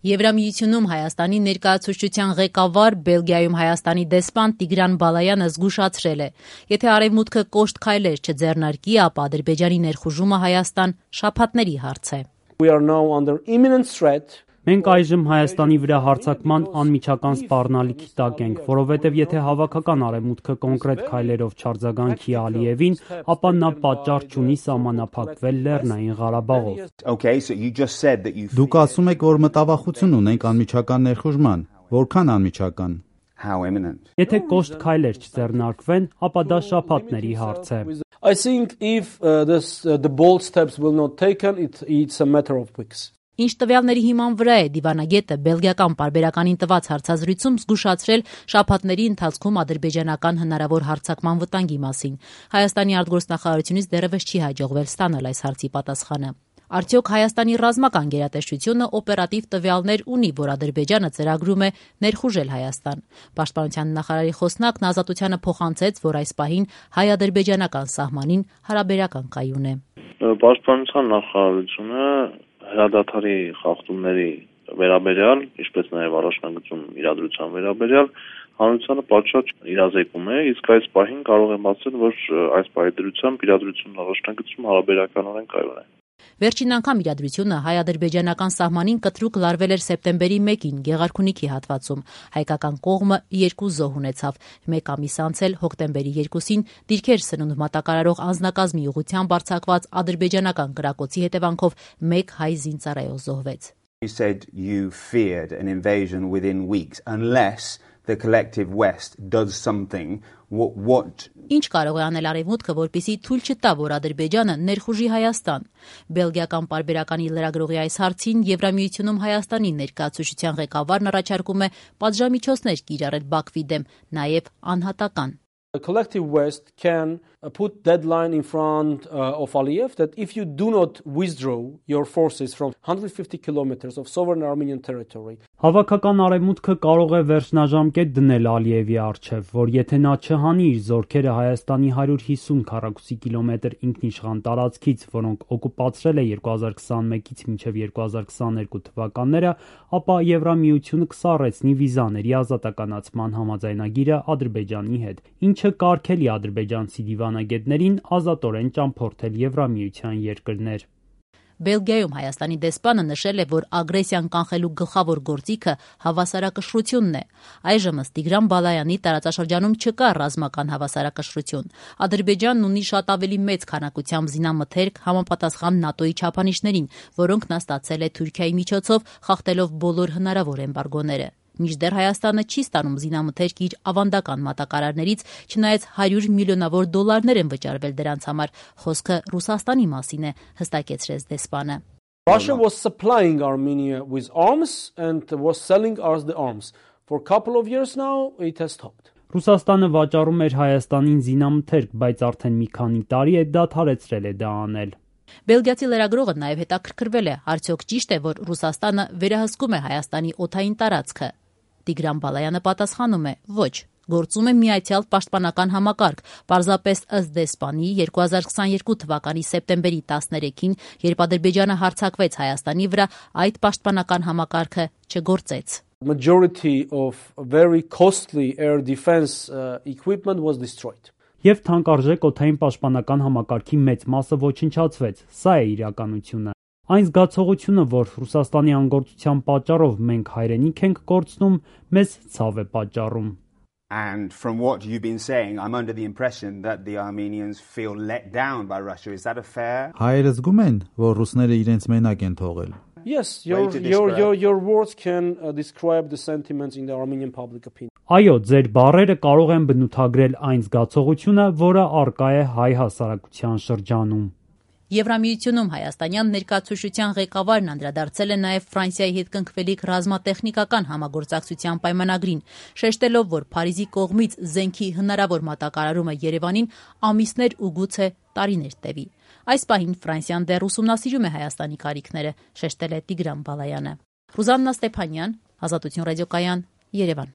Եվրամիությունում Հայաստանի ներկայացուցչության ղեկավար, Բելգիայում Հայաստանի դեսպան Տիգրան Բալայանը զգուշացրել է. եթե Արևմուտքը կոշտ քայլեր չձեռնարկի, ապա Ադրբեջանի ներխուժումը Հայաստան շաբաթների հարց է։ Մենք այժմ Հայաստանի վրա հարձակման անմիջական սպառնալիքի տակ ենք, որովհետև եթե հավաքական Արևմուտքը կոնկրետ քայլերով չարձագանքի Ալիևին, ապա նա պատճառ չունի սահմանափակվել Լեռնային Ղարաբաղով։ Դուք ասում եք, որ մտավախություն ունենք անմիջական ներխուժման, որքան անմիջական։ Եթե կոշտ քայլեր չձեռնարկվեն, ապա դա շաբաթների հարց է։ I think if the bold steps will not taken, it's a matter of weeks. Ինչ տվյալների հիման վրա է դիվանագետը բելգիական պարբերականին տված հարցազրույցում զգուշացրել շաբաթների ընթացքում ադրբեջանական հնարավոր հարձակման վտանգի մասին։ Հայաստանի արտգործնախարարությունից դեռևս չի հաջողվել ստանալ այս հարցի պատասխանը։ Արդյոք Հայաստանի ռազմական գերատեսչությունը օպերատիվ տվյալներ ունի, որ Ադրբեջանը ծրագրում է ներխուժել Հայաստան։ Պաշտպանության նախարարի խոսնակն Ազատությանը փոխանցեց, որ այս պահին հայ-ադրբեջանական սահմանին հարաբերական կայուն է։ Պաշտպանության նախարարությունը հրադադարի խախտումների վերաբերյալ, ինչպես նաև առաջնագծում իրադրության վերաբերյալ հանրությանը պատշաճ իրազեկում է, իսկ այս պահին կարող եմ ասել, որ այս պահի դրությամբ իրադրությունն առաջնագծում հարաբերականորեն կայուն է։ Վերջին անգամ իրադրությունը հայ-ադրբեջանական սահմանին կտրուկ լարվել էր սեպտեմբերի 1-ին Գեղարքունիքի հատվածում։ Հայկական կողմը 2 զոհ ունեցավ։ Մեկ ամիս անց էլ հոկտեմբերի 2-ին դիրքեր սնունդ մատակարարող անձնակազմի ուղղությամբ արձակված ադրբեջանական կրակոցի հետևանքով 1 հայ զինծառայող զոհվեց։ You said you feared an invasion within weeks unless the collective West does something. What Ինչ կարող է անել Արևմուտքը, որպեսզի թույլ չտա, որ Ադրբեջանը ներխուժի Հայաստան։ Բելգիական պարբերականի լրագրողի այս հարցին Եվրամիությունում Հայաստանի ներկայացուցչության ղեկավարն առաջարկում է պատժամիջոցներ կիրառել Բաքվի դեմ, նաև անհատական։ The collective West can put deadline in front of Aliyev that if you do not withdraw your forces from 150 kilometers of sovereign Armenian territory. Հավաքական Արևմուտքը կարող է վերջնաժամկետ դնել Ալիևի առջև, որ եթե նա չհանի իր զորքերը Հայաստանի 150 քառակուսի կիլոմետր ինքնիշխան տարածքից, որոնք օկուպացրել է 2021-ից մինչև 2022 թվականները, ապա Եվրամիությունը կսառեցնի վիզաների ազատականացման համաձայնագիրը Ադրբեջանի հետ, ինչը կարգելի ադրբեջանցի դիվանագետներին ազատորեն ճամփորդել Եվրամիության երկրներ։ Բելգիայում Հայաստանի դեսպանը նշել է, որ ագրեսիան կանխելու գլխավոր գործիքը հավասարակշռությունն է։ Այժմ ըստ Տիգրան Բալայանի տարածաշրջանում չկա ռազմական հավասարակշռություն։ Ադրբեջանն ունի շատ ավելի մեծ քանակությամբ զինամթերք համապատասխան ՆԱՏՕ-ի չափանիշներին, որոնք նա ստացել է Թուրքիայի միջոցով, խախտելով բոլոր հնարավոր էմբարգոները։ Մինչդեռ Հայաստանը չի ստանում զինամթերք իր ավանդական մատակարարներից, չնայած 100 միլիոնավոր դոլարներ են վճարվել դրանց համար։ Խոսքը Ռուսաստանի մասին է, հստակեցրեց դեսպանը։ Russia was supplying Armenia with arms and was selling us the arms. For a couple of years now it has stopped. Ռուսաստանը վաճառում էր Հայաստանին զինամթերք, բայց արդեն մի քանի տարի է դադարեցրել է դա անել։ Բելգիացի լրագրողը նաև հետաքրքրվել է, արդյոք ճիշտ է, որ Ռուսաստանը վերահսկում է Հայաստանի օդային տարածքը։ Տիգրան Բալայանը պատասխանում է. ոչ, գործում է միացյալ պաշտպանական համակարգ, պարզապես ըստ դեսպանի 2022 թվականի սեպտեմբերի 13-ին, երբ Ադրբեջանը հարձակվեց Հայաստանի վրա, այդ պաշտպանական համակարգը չգործեց։ Majority of very costly air defense equipment was destroyed. Եվ թանկարժեք օդային պաշտպանական համակարգի մեծ մասը ոչնչացվեց։ Սա է իրականությունը։ Այն զգացողությունը, որ Ռուսաստանի անգործության պատճառով մենք հայրենիք ենք կորցնում, մեզ ցավ է պատճառում։ And from what you've been saying, I'm under the impression that the Armenians feel let down by Russia. Is that a fair? Հայերը զգում են, որ ռուսները իրենց մենակ են թողել։ Yes, your words can describe the sentiments in the Armenian public opinion. Այո, ձեր բառերը կարող են բնութագրել այն զգացողությունը, որը առկա է հայ հասարակության շրջանում։ Եվրամիությունում հայաստանյան ներկայացուցչության ղեկավարն անդրադարձել է նաև Ֆրանսիայի հետ կնքվելիք ռազմատեխնիկական համագործակցության պայմանագրին, շեշտելով, որ Փարիզի կողմից զենքի հնարավոր մատակարարումը Երևանին ամիսներ ու գուցե տարիներ տևի։ Այս պահին Ֆրանսիան դեռ ուսումնասիրում է Հայաստանի կարիքները, շեշտել է Տիգրան Բալայանը։ Ռուզաննա Ստեփանյան, Ազատություն ռադիոկայան, Երևան։